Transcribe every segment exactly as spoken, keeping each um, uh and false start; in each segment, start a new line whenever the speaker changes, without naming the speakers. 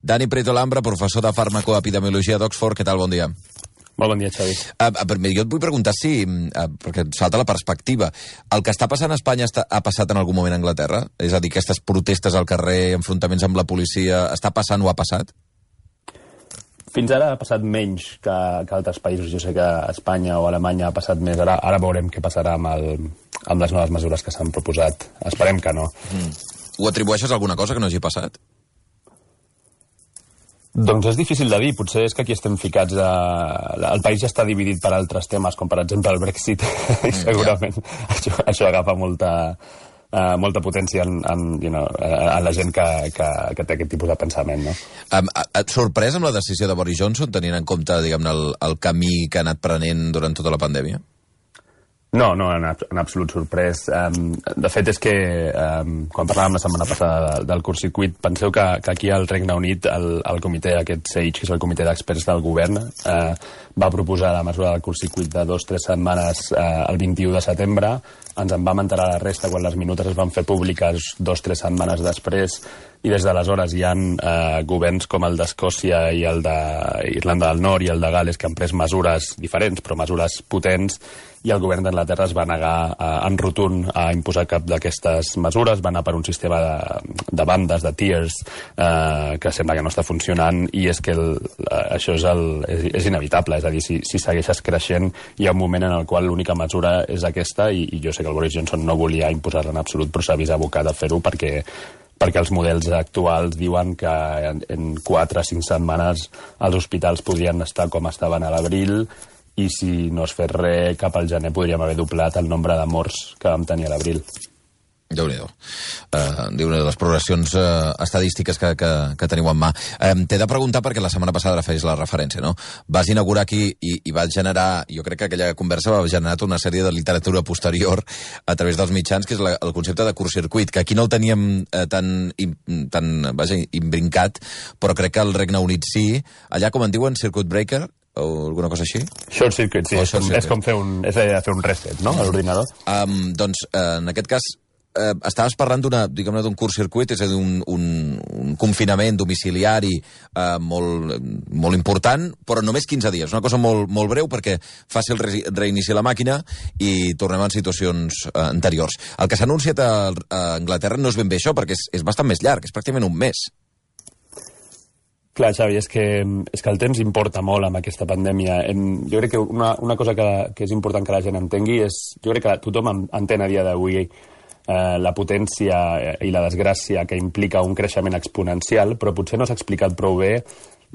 Dani Prieto Lambra, professor de farmacoepidemiologia d'Oxford. Què tal? Bon dia.
Molt bon dia, Xavi.
Uh, jo et vull preguntar si, uh, perquè salta la perspectiva, el que està passant a Espanya està, ha passat en algun moment a Anglaterra? És a dir, aquestes protestes al carrer, enfrontaments amb la policia, està passant o ha passat?
Fins ara ha passat menys que, que altres països. Jo sé que a Espanya o a Alemanya ha passat més. Ara, ara veurem què passarà amb, el, amb les noves mesures que s'han proposat. Esperem que no.
Mm. Ho atribueixes a alguna cosa que no hagi passat?
Doncs és difícil de dir. Potser és que aquí estem ficats a... El país ja està dividit per altres temes, com per exemple el Brexit, i segurament yeah. això, això agafa molta, uh, molta potència en, en, you know, en la gent que, que, que té aquest tipus de pensament. No?
Um, et sorprès amb la decisió de Boris Johnson, tenint en compte, diguem-ne, el, el camí que ha anat prenent durant tota la pandèmia?
No, no, en, en absolut sorprès. Um, de fet, és que um, quan parlàvem la setmana passada del, del curtcircuit, penseu que, que aquí al Regne Unit el, el comitè, aquest S A G E, que és el comitè d'experts del govern, uh, va proposar la mesura del curtcircuit de dos o tres setmanes uh, el vint-i-u de setembre. Ens en vam enterar la resta quan les minutes es van fer públiques dos o tres setmanes després, i des d'aleshores hi ha eh, governs com el d'Escòcia i el d'Irlanda del Nord i el de Gales que han pres mesures diferents, però mesures potents, i el govern d'Anglaterra es va negar eh, en rotund a imposar cap d'aquestes mesures, va anar per un sistema de, de bandes, de tiers, eh, que sembla que no està funcionant, i és que el, això és, el, és, és inevitable, és a dir, si, si segueixes creixent hi ha un moment en el qual l'única mesura és aquesta, i, i jo sé que el Boris Johnson no volia imposar-la en absolut, però s'ha vist abocat a fer-ho perquè perquè els models actuals diuen que en, en quatre o cinc setmanes els hospitals podrien estar com estaven a l'abril, i si no es fes res, cap al gener podríem haver doblat el nombre de morts que vam tenir a l'abril.
Déu-n'hi-do. Uh, Déu-n'hi-do, les progressions uh, estadístiques que, que, que teniu en mà. Um, T'he de preguntar, perquè la setmana passada feies la referència, no? Vas inaugurar aquí i, i vas generar, jo crec que aquella conversa va generar una sèrie de literatura posterior a través dels mitjans, que és la, el concepte de curtcircuit, que aquí no el teníem uh, tan, tan vaja, imbrincat, però crec que al Regne Unit sí. Allà, com en diuen, circuit breaker, o alguna cosa així?
Short circuit, sí.
Oh,
és, com, és com fer un, és fer un reset, no?, a l'ordinador.
Um, doncs, uh, en aquest cas, Eh, estaves parlant d'una, diguem-ne, d'un curtcircuit, és a dir, un, un, un confinament domiciliari eh, molt, molt important, però només quinze dies. Una cosa molt, molt breu perquè faci el re reinici la màquina i tornem a situacions eh, anteriors. El que s'ha anunciat a, a Anglaterra no és ben bé això, perquè és, és bastant més llarg, és pràcticament un mes.
Clar, Xavi, és que, és que el temps importa molt amb aquesta pandèmia. En, jo crec que una, una cosa que, que és important que la gent entengui és... Jo crec que tothom entén a dia d'avui Eh, la potència i la desgràcia que implica un creixement exponencial, però potser no s'ha explicat prou bé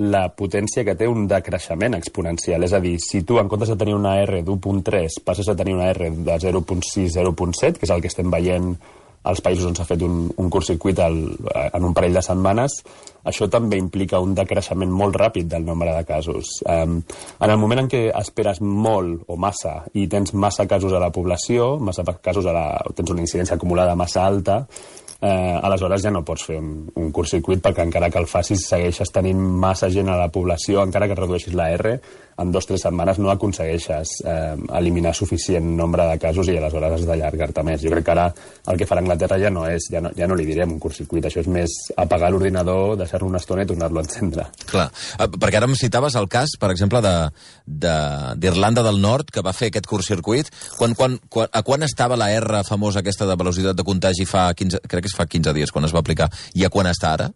la potència que té un decreixement exponencial. És a dir, si tu, en comptes de tenir una R d'u punt tres, passes a tenir una R de zero punt sis, zero punt set, que és el que estem veient als països on s'ha fet un, un curtcircuit el, en un parell de setmanes, això també implica un decreixement molt ràpid del nombre de casos. Um, en el moment en què esperes molt o massa i tens massa casos a la població, massa casos a la, tens una incidència acumulada massa alta, eh, aleshores ja no pots fer un, un curtcircuit, perquè encara que el facis segueixes tenint massa gent a la població, encara que redueixis la R, en dues o tres setmanes no aconsegueixes eh, eliminar suficient nombre de casos i aleshores has d'allargar-te més. Jo crec que ara el que farà Anglaterra ja no és, ja no, ja no li direm un curtcircuit, això és més apagar l'ordinador, deixar-lo una estona i tornar-lo a encendre.
Clar, perquè ara em citaves el cas, per exemple, d'Irlanda de, de, del Nord, que va fer aquest curtcircuit. Quan, quan, quan, a quan estava la R famosa aquesta de velocitat de contagi fa quinze, crec que es fa quinze dies, quan es va aplicar, i a quan està ara?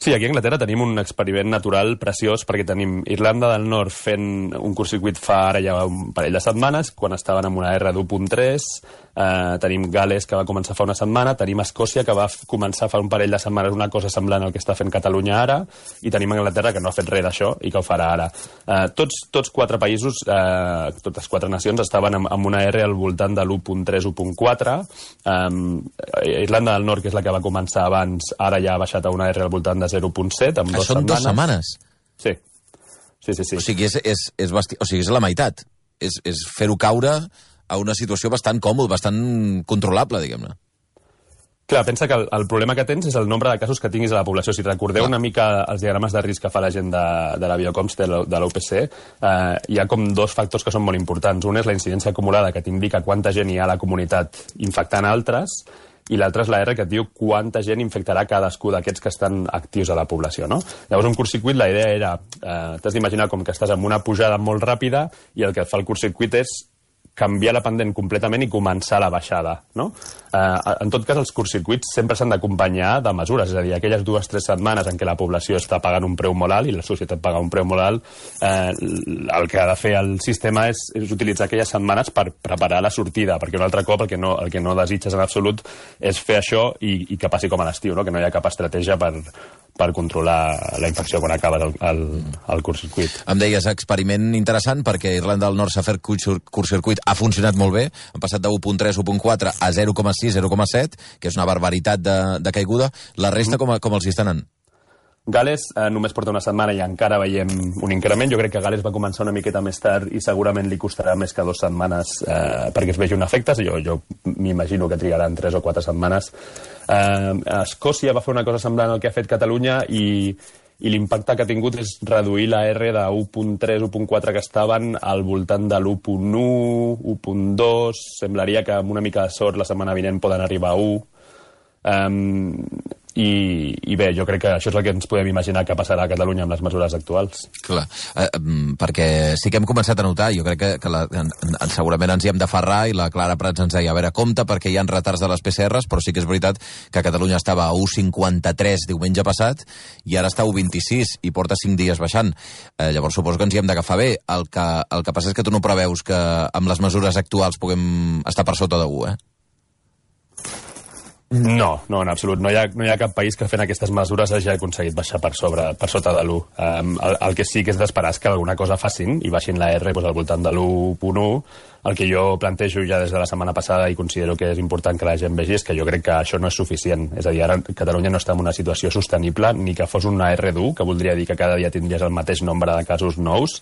Sí, aquí a Anglaterra tenim un experiment natural preciós, perquè tenim Irlanda del Nord fent un curtcircuit fa ara ja un parell de setmanes, quan estaven amb una R d'u punt tres, eh, tenim Gales, que va començar fa una setmana, tenim Escòcia, que va començar fa un parell de setmanes una cosa semblant al que està fent Catalunya ara, i tenim Anglaterra, que no ha fet res d'això i que ho farà ara. Eh, tots, tots quatre països, eh, totes quatre nacions, estaven amb, amb una R al voltant de l'u punt tres, u punt quatre. Eh, Irlanda del Nord, que és la que va començar abans, ara ja ha baixat a una R al voltant de zero punt set, amb dues
setmanes. Això en dues setmanes?
Sí. Sí, sí, sí.
O sigui, és, és, és, basti... o sigui, és la meitat. És, és fer-ho caure a una situació bastant còmoda, bastant controlable, diguem-ne.
Clar, pensa que el, el problema que tens és el nombre de casos que tinguis a la població. Si recordeu una mica els diagrames de risc que fa la gent de, de la Biocoms, de l'U P C, eh, hi ha com dos factors que són molt importants. Un és la incidència acumulada, que t'indica quanta gent hi ha a la comunitat infectant altres, i l'altre és la R, que et diu quanta gent infectarà cadascú d'aquests que estan actius a la població, no? Llavors, un curtcircuit, la idea era, eh, t'has d'imaginar com que estàs en una pujada molt ràpida i el que fa el curtcircuit és canviar la pendent completament i començar la baixada, no? Eh, en tot cas, els curtcircuits sempre s'han d'acompanyar de mesures, és a dir, aquelles dues o tres setmanes en què la població està pagant un preu molt alt i la societat paga un preu molt alt, eh, el que ha de fer el sistema és, és utilitzar aquelles setmanes per preparar la sortida, perquè un altre cop el que no, el que no desitges en absolut és fer això i, i que passi com a l'estiu, no? Que no hi ha cap estratègia per, per controlar la infecció quan acabes el, el, el curtcircuit.
Em deies, experiment interessant, perquè Irlanda del Nord s'ha fet curtcircuit, ha funcionat molt bé, han passat de u coma tres, u coma quatre a zero coma sis, zero coma set, que és una barbaritat de, de caiguda. La resta, com, com els hi estan anant?
Gales eh, només porta una setmana i encara veiem un increment. Jo crec que Gales va començar una miqueta més tard i segurament li costarà més que dues setmanes eh, perquè es vegi un efecte. Jo, jo m'imagino que trigaran tres o quatre setmanes. Eh, Escòcia va fer una cosa semblant al que ha fet Catalunya i, i l'impacte que ha tingut és reduir la R de u coma tres, u coma quatre que estaven al voltant de l'u coma u, u coma dos. Semblaria que amb una mica de sort la setmana vinent poden arribar a u. Um, i, i bé, jo crec que això és el que ens podem imaginar que passarà a Catalunya amb les mesures actuals.
Clar, eh, perquè sí que hem començat a notar, jo crec que, que la, en, en, segurament ens hi hem d'aferrar, i la Clara Prats ens deia, a veure, compte, perquè hi ha retards de les P C Rs, però sí que és veritat que Catalunya estava a u coma cinquanta-tres diumenge passat i ara està a u coma vint-i-sis i porta cinc dies baixant. Eh, llavors suposo que ens hi hem d'agafar bé. El que, el que passa és que tu no preveus que amb les mesures actuals puguem estar per sota de u, eh?
No, no, en absolut. No hi ha, no hi ha cap país que fent aquestes mesures hagi aconseguit baixar per sobre, per sota de l'u. Um, el, el que sí que és d'esperar és que alguna cosa facin i baixin la R doncs, al voltant de l'u coma u. El que jo plantejo ja des de la setmana passada i considero que és important que la gent vegi és que jo crec que això no és suficient. És a dir, ara Catalunya no està en una situació sostenible ni que fos una R d'u, que voldria dir que cada dia tindries el mateix nombre de casos nous.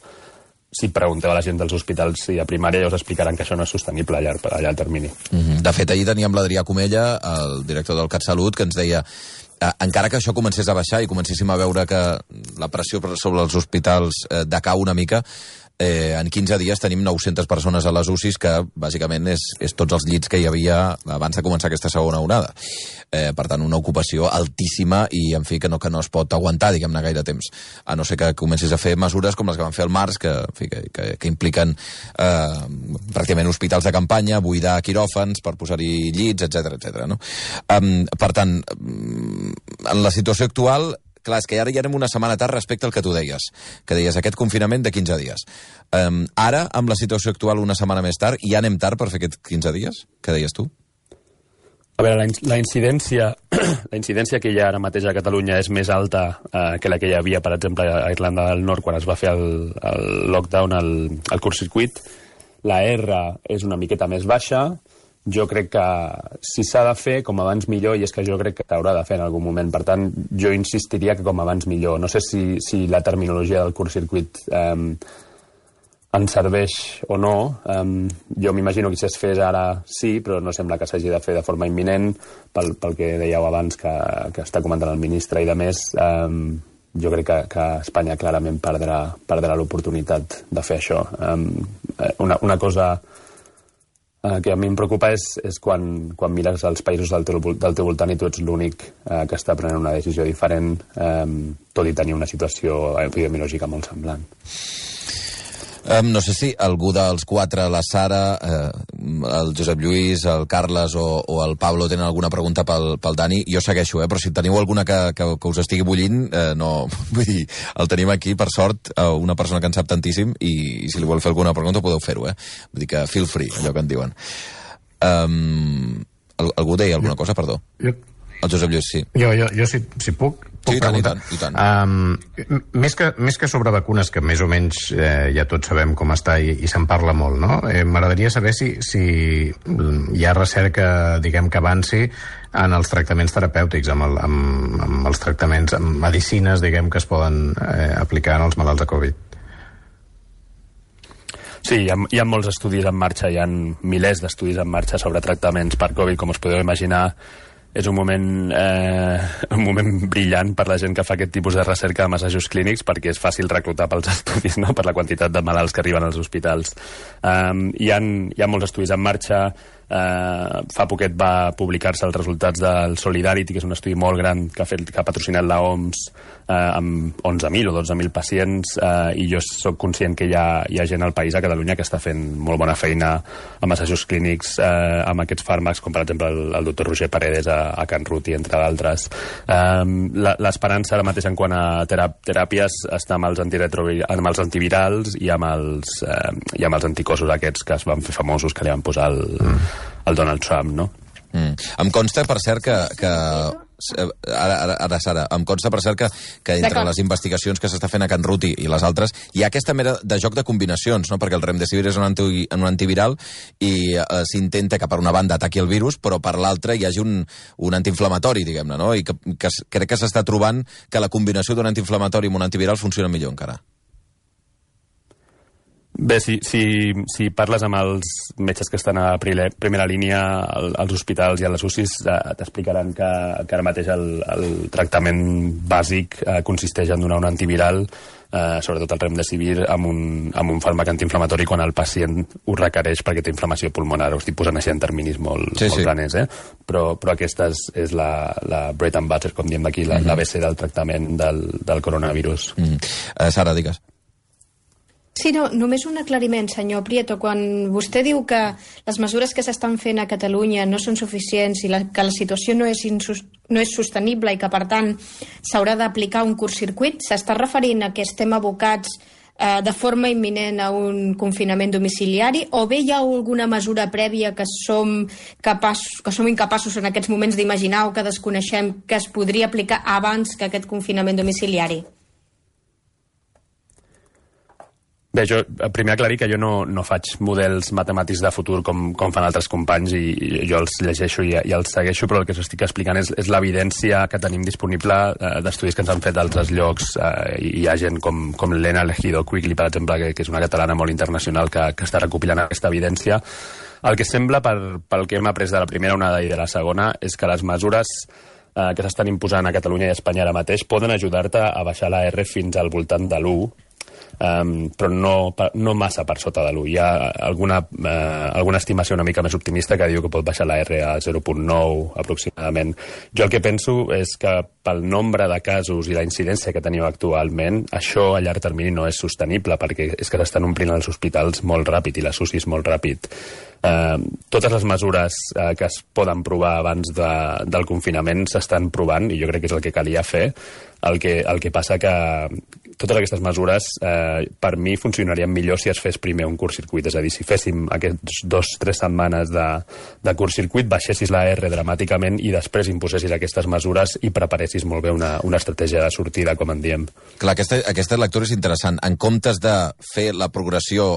Si pregunteu a la gent dels hospitals i a primària ja us explicaran que això no és sostenible a llarg, a llarg termini.
Mm-hmm. De fet, ahir teníem l'Adrià Comella, el director del CatSalut, que ens deia eh, encara que això comencés a baixar i comencéssim a veure que la pressió sobre els hospitals eh, decau una mica, eh, en quinze dies tenim nou-centes persones a les U C Is, que bàsicament és, és tots els llits que hi havia abans de començar aquesta segona onada. Eh, per tant, una ocupació altíssima i, en fi, que no, que no es pot aguantar, diguem-ne, gaire temps. A no ser que comencis a fer mesures com les que van fer al març, que, en fi, que, que, que impliquen eh, pràcticament hospitals de campanya, buidar quiròfans per posar-hi llits, etcètera, etcètera, no? Um, per tant, en la situació actual, clar, és que ara ja anem una setmana tard respecte al que tu deies, que deies aquest confinament de quinze dies. Um, ara, amb la situació actual una setmana més tard, ja anem tard per fer aquests quinze dies? Què deies tu?
A veure, la, la incidència la incidència que hi ha ara mateix a Catalunya és més alta eh, que la que hi havia, per exemple, a Irlanda del Nord quan es va fer el, el lockdown, el, el curtcircuit. La R és una miqueta més baixa. Jo crec que si s'ha de fer, com abans millor, i és que jo crec que s'haurà de fer en algun moment. Per tant, jo insistiria que com abans millor. No sé si, si la terminologia del curtcircuit eh, ens serveix o no. Um, jo m'imagino que si es fes ara sí, però no sembla que s'hagi de fer de forma imminent, pel, pel que dèieu abans que, que està comentant el ministre i de més. Um, jo crec que, que Espanya clarament perdrà, perdrà l'oportunitat de fer això. Um, una, una cosa uh, que a mi em preocupa és, és quan, quan mires els països del teu, del teu voltant i tu ets l'únic uh, que està prenent una decisió diferent, um, tot i tenir una situació epidemiològica molt semblant.
Um, no sé si algú dels quatre, la Sara, eh, el Josep Lluís, el Carles o, o el Pablo tenen alguna pregunta pel, pel Dani. Jo segueixo, eh, però si teniu alguna que, que, que us estigui bullint, eh, no, vull dir, el tenim aquí, per sort, eh, una persona que en sap tantíssim, i, i si li vol fer alguna pregunta podeu fer-ho, eh? Vull dir que feel free, allò que en diuen. Um, algú deia alguna cosa, perdó?
Jo...
El Josep Lluís, sí.
Jo, jo, jo si, si puc, puc
sí, i tant,
preguntar.
i tant, i tant.
Um, més, que, més que sobre vacunes, que més o menys eh, ja tots sabem com està i, i se'n parla molt, no? Eh, m'agradaria saber si, si hi ha recerca, diguem, que avanci en els tractaments terapèutics, amb, el, amb, amb els tractaments, amb medicines, diguem, que es poden eh, aplicar en els malalts de Covid.
Sí, hi ha, hi ha molts estudis en marxa, hi ha milers d'estudis en marxa sobre tractaments per Covid, com us podeu imaginar. És un moment, eh, un moment brillant per la gent que fa aquest tipus de recerca amb assajos clínics, perquè és fàcil reclutar pels estudis, no?, per la quantitat de malalts que arriben als hospitals. Um, hi, ha, hi ha molts estudis en marxa. Uh, fa poquet va publicar-se els resultats del Solidarity, que és un estudi molt gran que ha, fet, que ha patrocinat la O M S uh, amb onze mil o dotze mil pacients, uh, i jo sóc conscient que hi ha, hi ha gent al país, a Catalunya, que està fent molt bona feina amb assajos clínics uh, amb aquests fàrmacs, com per exemple el, el doctor Roger Paredes a, a Can Ruti, entre d'altres. Um, L'esperança ara mateix en quant a teràpies està amb els, amb els antivirals i amb els, uh, i amb els anticossos aquests que es van fer famosos, que li van posar el... Mm. el Donald Trump, no?
Mm. Em consta, per cert, que... que ara, ara, ara, Sara, em consta, per cert, que, que entre les investigacions que s'està fent a Can Ruti i les altres, hi ha aquesta mera de joc de combinacions, no? Perquè el remdesivir és un, anti, un antiviral i eh, s'intenta que per una banda ataqui el virus, però per l'altra hi hagi un, un antiinflamatori, diguem-ne, no? I que, que crec que s'està trobant que la combinació d'un antiinflamatori amb un antiviral funciona millor encara.
Bé, si, si, si parles amb els metges que estan a primera línia als hospitals i a les U C Is, t'explicaran que, que ara mateix el, el tractament bàsic eh, consisteix en donar un antiviral, eh, sobretot el remdesivir, amb un, amb un fàrmac antiinflamatori quan el pacient ho requereix perquè té inflamació pulmonar. Ho estic posant així en terminis molt, sí, molt sí. planers, eh? Però, però aquesta és, és la, la bread and butter, com diem d'aquí, la, mm-hmm. l'A B C del tractament del, del coronavirus.
Mm-hmm. Uh, Sara, digues.
Sí, no, només un aclariment, senyor Prieto. Quan vostè diu que les mesures que s'estan fent a Catalunya no són suficients i la, que la situació no és, insus, no és sostenible i que, per tant, s'haurà d'aplicar un curtcircuit, s'està referint a que estem abocats eh, de forma imminent a un confinament domiciliari, o bé hi ha alguna mesura prèvia que som, capaç, que som incapaços en aquests moments d'imaginar o que desconeixem que es podria aplicar abans que aquest confinament domiciliari?
Bé, jo primer aclarir que jo no, no faig models matemàtics de futur com, com fan altres companys, i, i jo els llegeixo i, i els segueixo, però el que us estic explicant és, és l'evidència que tenim disponible eh, d'estudis que ens han fet d'altres llocs, eh, i hi ha gent com, com l'Elena Elegido Quigley, per exemple, que, que és una catalana molt internacional que, que està recopilant aquesta evidència. El que sembla, per, pel que hem après de la primera onada i de la segona, és que les mesures eh, que s'estan imposant a Catalunya i a Espanya ara mateix poden ajudar-te a baixar la R fins al voltant de l'u, Um, però no, no massa per sota de l'u. Hi ha alguna, uh, alguna estimació una mica més optimista que diu que pot baixar la R a zero coma nou aproximadament. Jo el que penso és que pel nombre de casos i la incidència que tenim actualment, això a llarg termini no és sostenible, perquè és que s'estan omplint els hospitals molt ràpid i les U C Is molt ràpid. Uh, totes les mesures uh, que es poden provar abans de, del confinament s'estan provant, i jo crec que és el que calia fer. El que, el que passa que totes aquestes mesures eh, per mi funcionarien millor si es fes primer un curtcircuit, és a dir, si féssim aquests dos tres setmanes de, de curtcircuit, baixessis la R dramàticament i després imposessis aquestes mesures i preparessis molt bé una, una estratègia de sortida, com en diem.
Clar, aquesta, aquesta lectura és interessant. En comptes de fer la progressió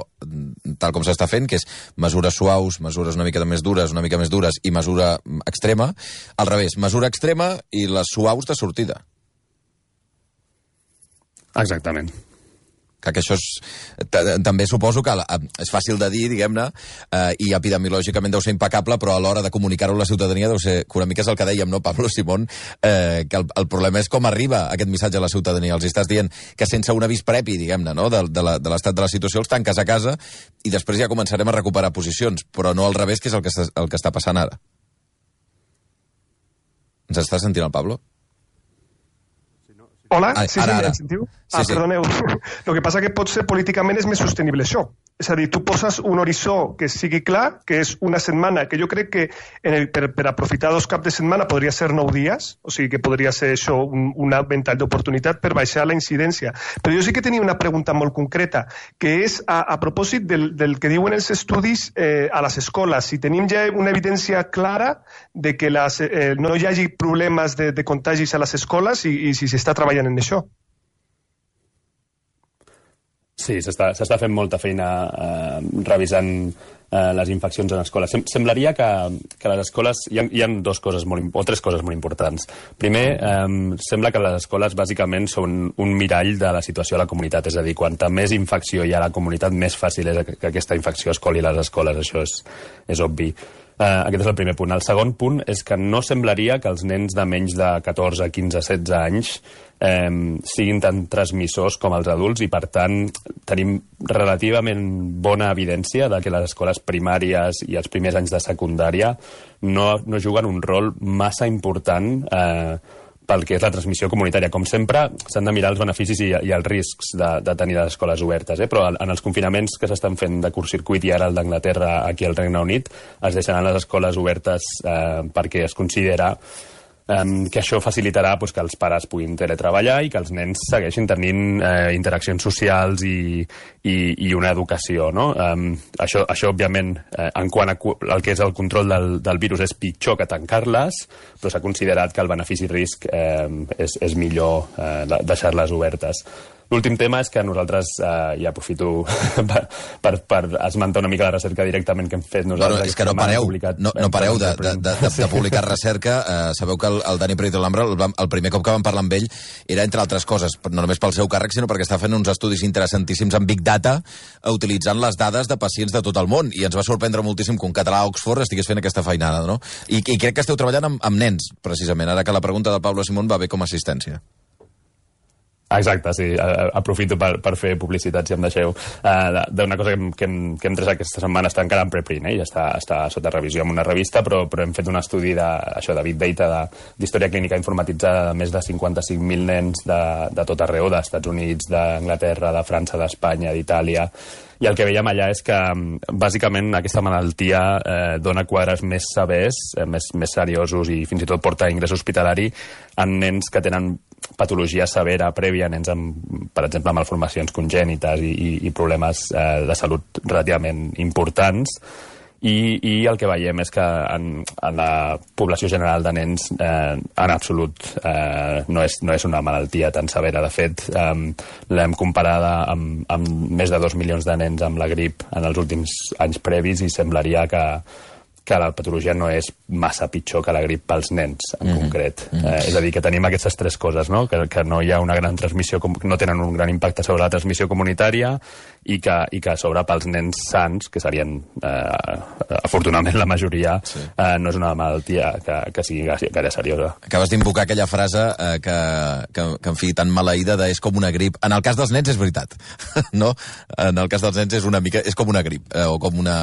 tal com s'està fent, que és mesures suaus, mesures una mica més dures, una mica més dures i mesura extrema, al revés, mesura extrema i les suaus de sortida.
Exactament.
Que això és... També suposo que és fàcil de dir, diguem-ne, eh, i epidemiològicament deu ser impecable, però a l'hora de comunicar-ho a la ciutadania deu ser... Que una mica és el que dèiem, no, Pablo Simón? Eh, que el, el problema és com arriba aquest missatge a la ciutadania. Els estàs dient que sense un avís previ, diguem-ne, no, de, de l'estat de la situació, els tanques a casa i després ja començarem a recuperar posicions, però no al revés, que és el que està, el que està passant ara. Ens està sentint el Pablo?
Hola,
ah,
sí,
ara,
sí,
ara.
em sentiu?
Sí,
ah,
sí.
perdoneu. El que passa que potser políticament és més sostenible això. És a dir, tu poses un horitzó que sigui clar, que és una setmana, que jo crec que en el, per, per aprofitar dos caps de setmana podria ser nou dies, o sigui que podria ser això un, un ventall d'oportunitat per baixar la incidència. Però jo sí que tenia una pregunta molt concreta, que és a, a propòsit del, del que diuen els estudis eh, a les escoles. Si tenim ja una evidència clara de que les, eh, no hi hagi problemes de, de contagis a les escoles i, i si s'està treballant en això.
Sí, s'està fent molta feina eh, revisant eh, les infeccions en escoles. Sem semblaria que, que les escoles... Hi ha, hi ha dos coses molt, o tres coses molt importants. Primer, eh, sembla que les escoles bàsicament són un mirall de la situació a la comunitat. És a dir, quanta més infecció hi ha a la comunitat, més fàcil és que aquesta infecció es coli a les escoles. Això és, és obvi. Uh, aquest és el primer punt. El segon punt és que no semblaria que els nens de menys de catorze, quinze, setze anys eh, siguin tan transmissors com els adults i, per tant, tenim relativament bona evidència de que les escoles primàries i els primers anys de secundària no, no juguen un rol massa important eh, pel que és la transmissió comunitària. Com sempre, s'han de mirar els beneficis i, i els riscs de, de tenir les escoles obertes, eh? Però en els confinaments que s'estan fent de curtcircuit i ara el d'Anglaterra aquí al Regne Unit, es deixaran les escoles obertes eh, perquè es considera Um, que això facilitarà pues, que els pares puguin teletreballar i que els nens segueixin tenint eh, interaccions socials i, i, i una educació, no? Um, això, això, òbviament, eh, en quant a el que és el control del, del virus és pitjor que tancar-les, però s'ha considerat que el benefici-risc eh, és, és millor eh, deixar-les obertes. L'últim tema és que nosaltres, eh, ja aprofito per, per, per esmentar una mica la recerca directament que hem fet nosaltres.
Bueno, és que no pareu, publicat, no, no pareu de, de, de, de, de publicar recerca. Eh, sabeu que el, el Dani Prieto-Lambra, el, el primer cop que vam parlar amb ell, era, entre altres coses, no només pel seu càrrec, sinó perquè està fent uns estudis interessantíssims en Big Data, utilitzant les dades de pacients de tot el món. I ens va sorprendre moltíssim que un català a Oxford estigués fent aquesta feinada, no? I, i crec que esteu treballant amb, amb nens, precisament, ara que la pregunta del Pablo Simón va bé com a assistència.
Exacte, sí. Aprofito per, per fer publicitat, si em deixeu, uh, d'una cosa que hem, que, hem, que hem tret aquesta setmana. Està encara en preprint, eh? Ja està, està sota revisió en una revista, però, però hem fet un estudi de, això, de Big Data, d'història clínica informatitzada de més de cinquanta-cinc mil nens de, de tot arreu, dels Estats Units, d'Anglaterra, de França, d'Espanya, d'Itàlia. I el que veiem allà és que, bàsicament, aquesta malaltia eh, dona quadres més severs, eh, més, més seriosos i fins i tot porta a ingrés hospitalari en nens que tenen patologia severa prèvia, nens amb, per exemple, malformacions congènites i, i, i problemes eh, de salut relativament importants. I, i el que veiem és que en, en la població general de nens eh, en absolut eh, no, és, no és una malaltia tan severa. De fet, eh, l'hem comparada amb, amb més de dos milions de nens amb la grip en els últims anys previs i semblaria que, que la patologia no és massa pitjor que la grip pels nens, en mm-hmm. concret. Mm-hmm. Eh, és a dir, que tenim aquestes tres coses, no? Que, que no hi ha una gran transmissió, no tenen un gran impacte sobre la transmissió comunitària i que, i que a sobre pels nens sants, que serien eh, afortunadament la majoria, sí. eh, no és una malaltia que, que sigui gaire seriosa.
Acabes d'invocar aquella frase eh, que, que, que, en fi, tan maleïda de és com una grip. En el cas dels nens és veritat, no? En el cas dels nens és una mica, és com una grip, eh, o com, una,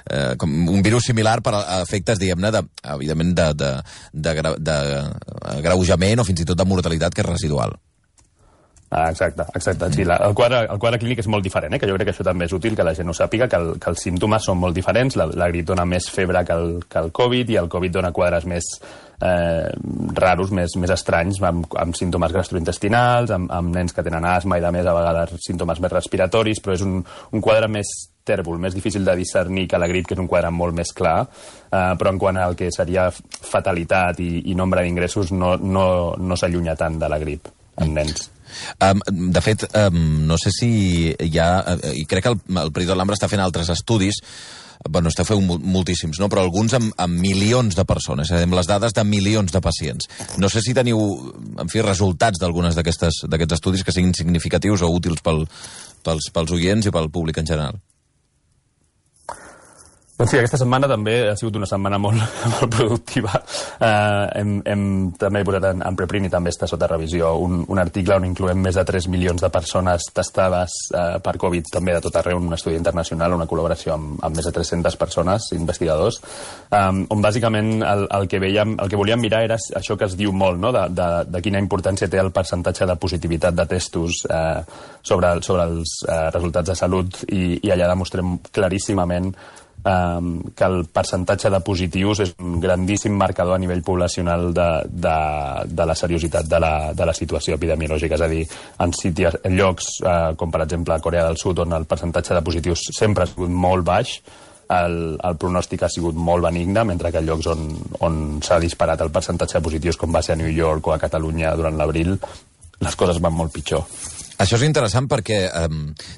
eh, com un virus similar per a efectes, diguem-ne, de, evidentment, de, de, de, de, de greujament o fins i tot de mortalitat, que és residual.
Ah, exacte, exacte. Sí, la, el, quadre, el quadre clínic és molt diferent, eh? Que jo crec que això també és útil que la gent ho sàpiga, que, el, que els símptomes són molt diferents. La, la grip dona més febre que el, que el Covid i el Covid dona quadres més eh, raros, més, més estranys, amb, amb símptomes gastrointestinals, amb, amb nens que tenen asma i, de més, a vegades símptomes més respiratoris, però és un, un quadre més tèrbol, més difícil de discernir que la grip, que és un quadre molt més clar, eh, però en quant al que seria fatalitat i, i nombre d'ingressos no, no, no s'allunya tant de la grip en nens.
Um, de fet, um, no sé si hi ha... Uh, i crec que el, el Prieto-Lambra està fent altres estudis, bueno, està fent moltíssims, no? Però alguns amb, amb milions de persones, és a dir, amb les dades de milions de pacients. No sé si teniu, en fi, resultats d'algunes d'aquests estudis que siguin significatius o útils pel, pels, pels oients i pel públic en general.
Doncs sí, aquesta setmana també ha sigut una setmana molt, molt productiva. Uh, hem, hem també posat en, en preprint i també està sota revisió un, un article on incloem més de tres milions de persones testades uh, per Covid, també de tot arreu, un estudi internacional, una col·laboració amb, amb més de tres-centes persones, investigadors, um, on bàsicament el, el, que veiem, el que volíem mirar era això que es diu molt, no? de, de, de quina importància té el percentatge de positivitat de testos uh, sobre, sobre els uh, resultats de salut i, i allà demostrem claríssimament Um, que el percentatge de positius és un grandíssim marcador a nivell poblacional de, de, de la seriositat de la, de la situació epidemiològica. És a dir, en, sities, en llocs uh, com per exemple a Corea del Sud, on el percentatge de positius sempre ha sigut molt baix, el, el pronòstic ha sigut molt benigne, mentre que en llocs on, on s'ha disparat el percentatge de positius, com va ser a New York o a Catalunya durant l'abril, les coses van molt pitjor.
Això és interessant perquè eh,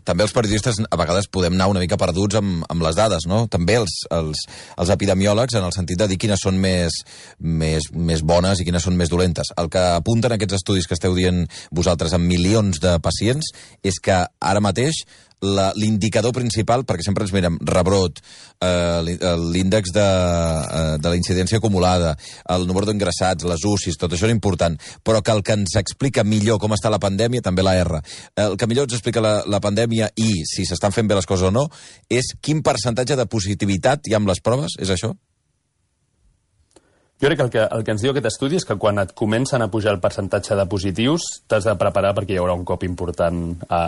també els periodistes a vegades podem anar una mica perduts amb, amb les dades, no? També els, els, els epidemiòlegs, en el sentit de dir quines són més, més, més bones i quines són més dolentes. El que apunten aquests estudis que esteu dient vosaltres amb milions de pacients és que ara mateix l'indicador principal, perquè sempre ens mirem rebrot, eh, l'índex de, eh, de la incidència acumulada, el número d'ingressats, les U C Is, tot això és important, però que el que ens explica millor com està la pandèmia, també la R, el que millor ens explica la, la pandèmia i si s'estan fent bé les coses o no, és quin percentatge de positivitat hi ha amb les proves, és això?
Jo crec que el, que el que ens diu aquest estudi és que quan et comencen a pujar el percentatge de positius t'has de preparar perquè hi haurà un cop important a,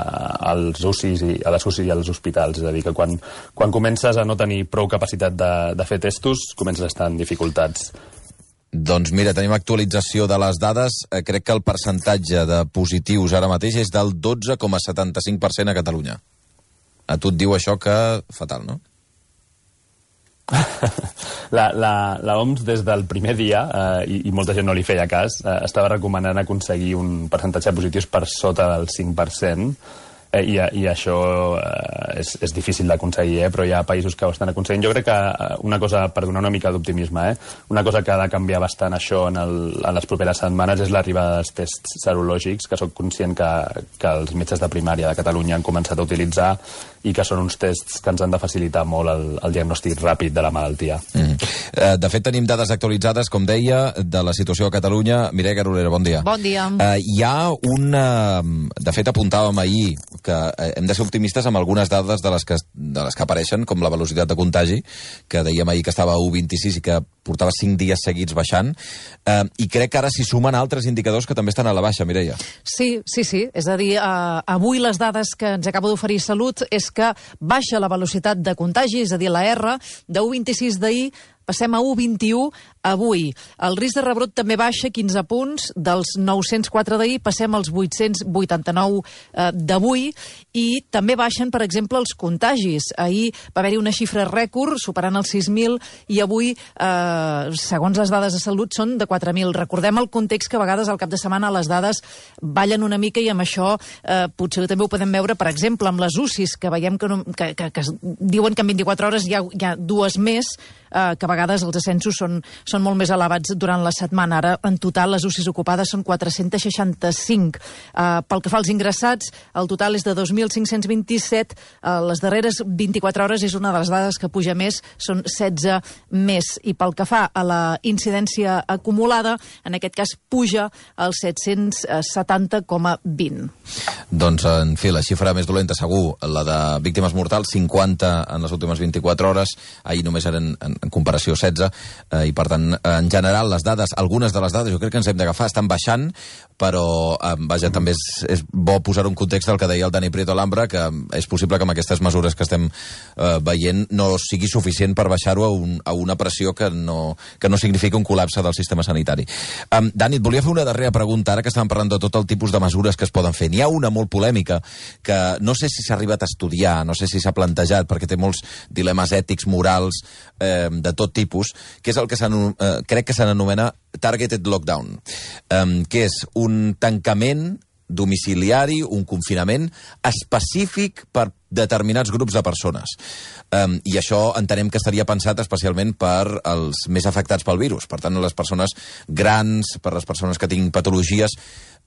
als U C Is i a les U C I i als hospitals. És a dir, que quan, quan comences a no tenir prou capacitat de, de fer testos, comences a estar en dificultats.
Doncs mira, tenim actualització de les dades. Eh, crec que el percentatge de positius ara mateix és del dotze coma setanta-cinc per cent a Catalunya. A tu et diu això que fatal, no?
La, la, la O M S des del primer dia, eh, i, i molta gent no li feia cas, eh, estava recomanant aconseguir un percentatge de positius per sota del cinc per cent, eh, i, i això eh, és, és difícil d'aconseguir, eh, però hi ha països que ho estan aconseguint. Jo crec que una cosa, per donar una mica d'optimisme, eh, una cosa que ha de canviar bastant això en, el, en les properes setmanes és l'arribada dels tests serològics, que soc conscient que, que els metges de primària de Catalunya han començat a utilitzar i que són uns tests que ens han de facilitar molt el, el diagnòstic ràpid de la malaltia. Mm.
De fet, tenim dades actualitzades, com deia, de la situació a Catalunya. Mireia Carolera, bon dia.
Bon dia.
Uh, hi ha una... De fet, apuntàvem ahir que hem de ser optimistes amb algunes dades de les que, de les que apareixen, com la velocitat de contagi, que dèiem ahir que estava a u coma vint-i-sis i que portava cinc dies seguits baixant, uh, i crec que ara s'hi sumen altres indicadors que també estan a la baixa, Mireia.
Sí, sí, sí. És a dir, uh, avui les dades que ens acaba d'oferir Salut és que baixa la velocitat de contagi, és a dir, la R, de u coma vint-i-sis d'ahir passem a u coma vint-i-u avui. El risc de rebrot també baixa quinze punts, dels nou-cents quatre d'ahir passem als vuit-cents vuitanta-nou eh, d'avui, i també baixen, per exemple, els contagis. Ahir va haver-hi una xifra rècord, superant els sis mil, i avui, eh, segons les dades de Salut, són de quatre mil. Recordem el context que a vegades al cap de setmana les dades ballen una mica i amb això eh, potser també ho podem veure, per exemple, amb les U C Is, que veiem que, no, que, que, que diuen que en vint-i-quatre hores hi ha, hi ha dues més, eh, que a vegades els ascensos són, són molt més elevats durant la setmana. Ara, en total, les U C Is ocupades són quatre-cents seixanta-cinc. Uh, pel que fa als ingressats, el total és de dos mil cinc-cents vint-i-set. Uh, les darreres vint-i-quatre hores és una de les dades que puja més, són setze més. I pel que fa a la incidència acumulada, en aquest cas puja als set-cents setanta coma vint.
Doncs, en fi, la xifra més dolenta, segur, la de víctimes mortals, cinquanta en les últimes vint-i-quatre hores. Ahir només eren, en, en comparació, setze, eh, i per tant, en general, les dades, algunes de les dades, jo crec que ens hem d'agafar, estan baixant, però, eh, vaja, també és, és bo posar un context del que deia el Dani Prieto Alhambra, que és possible que amb aquestes mesures que estem eh, veient no sigui suficient per baixar-ho a, un, a una pressió que no, que no significa un col·lapse del sistema sanitari. Um, Dani, et volia fer una darrera pregunta, ara que estàvem parlant de tot el tipus de mesures que es poden fer. N'hi ha una molt polèmica, que no sé si s'ha arribat a estudiar, no sé si s'ha plantejat, perquè té molts dilemes ètics, morals, eh, de tot tipus, que és el que eh, crec que se n'anomena Targeted Lockdown, eh, que és un tancament domiciliari, un confinament específic per determinats grups de persones. Um, I això entenem que estaria pensat especialment per als més afectats pel virus, per tant, les persones grans, per les persones que tinguin patologies.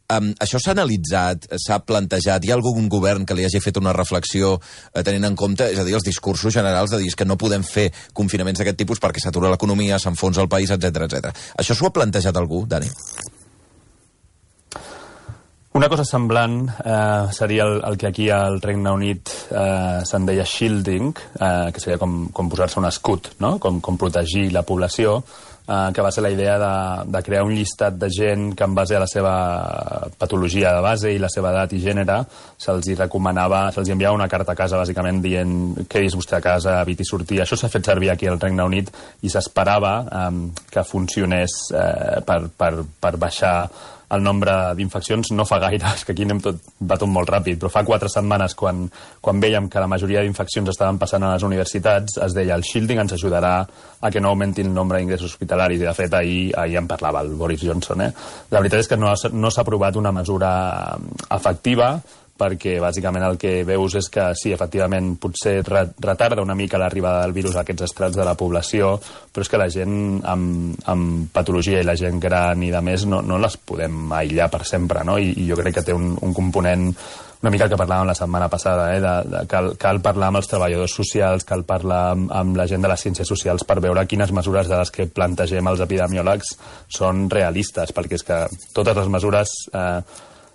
Um, això s'ha analitzat, s'ha plantejat, hi ha algun govern que li hagi fet una reflexió eh, tenint en compte, és a dir, els discursos generals de dir que no podem fer confinaments d'aquest tipus perquè s'atura l'economia, s'enfonsa el país, etcètera, etcètera. Això s'ho ha plantejat algú, Dani?
Una cosa semblant eh, seria el, el que aquí al Regne Unit eh, se'n deia shielding, eh, que seria com, com posar-se un escut, no? com, com protegir la població, eh, que va ser la idea de, de crear un llistat de gent que en base a la seva patologia de base i la seva edat i gènere se'ls recomanava, se'ls enviava una carta a casa bàsicament dient quedis vostè a casa, eviti sortir. Això s'ha fet servir aquí al Regne Unit i s'esperava eh, que funcionés eh, per, per, per baixar el nombre d'infeccions. No fa gaire, és que aquí anem tot, va tot molt ràpid, però fa quatre setmanes, quan, quan vèiem que la majoria d'infeccions estaven passant a les universitats, es deia el shielding ens ajudarà a que no augmenti el nombre d'ingressos hospitalaris, i de fet ahir, ahir en parlava el Boris Johnson. Eh? La veritat és que no, no s'ha aprovat una mesura efectiva, perquè bàsicament el que veus és que sí, efectivament, potser retarda una mica l'arribada del virus a aquests estrats de la població, però és que la gent amb, amb patologia i la gent gran i de més no, no les podem aïllar per sempre, no? I, i jo crec que té un, un component una mica el que parlàvem la setmana passada, eh? de, de, cal, cal parlar amb els treballadors socials, cal parlar amb, amb la gent de les ciències socials per veure quines mesures de les que plantegem els epidemiòlegs són realistes, perquè és que totes les mesures eh,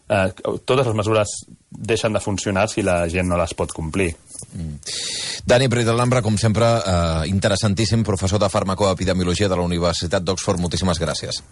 eh, totes les mesures deixen de funcionar si la gent no les pot complir.
Mm. Dani Prit de l'Ambra, com sempre, eh, interessantíssim, professor de farmacoepidemiologia de la Universitat d'Oxford. Moltíssimes gràcies.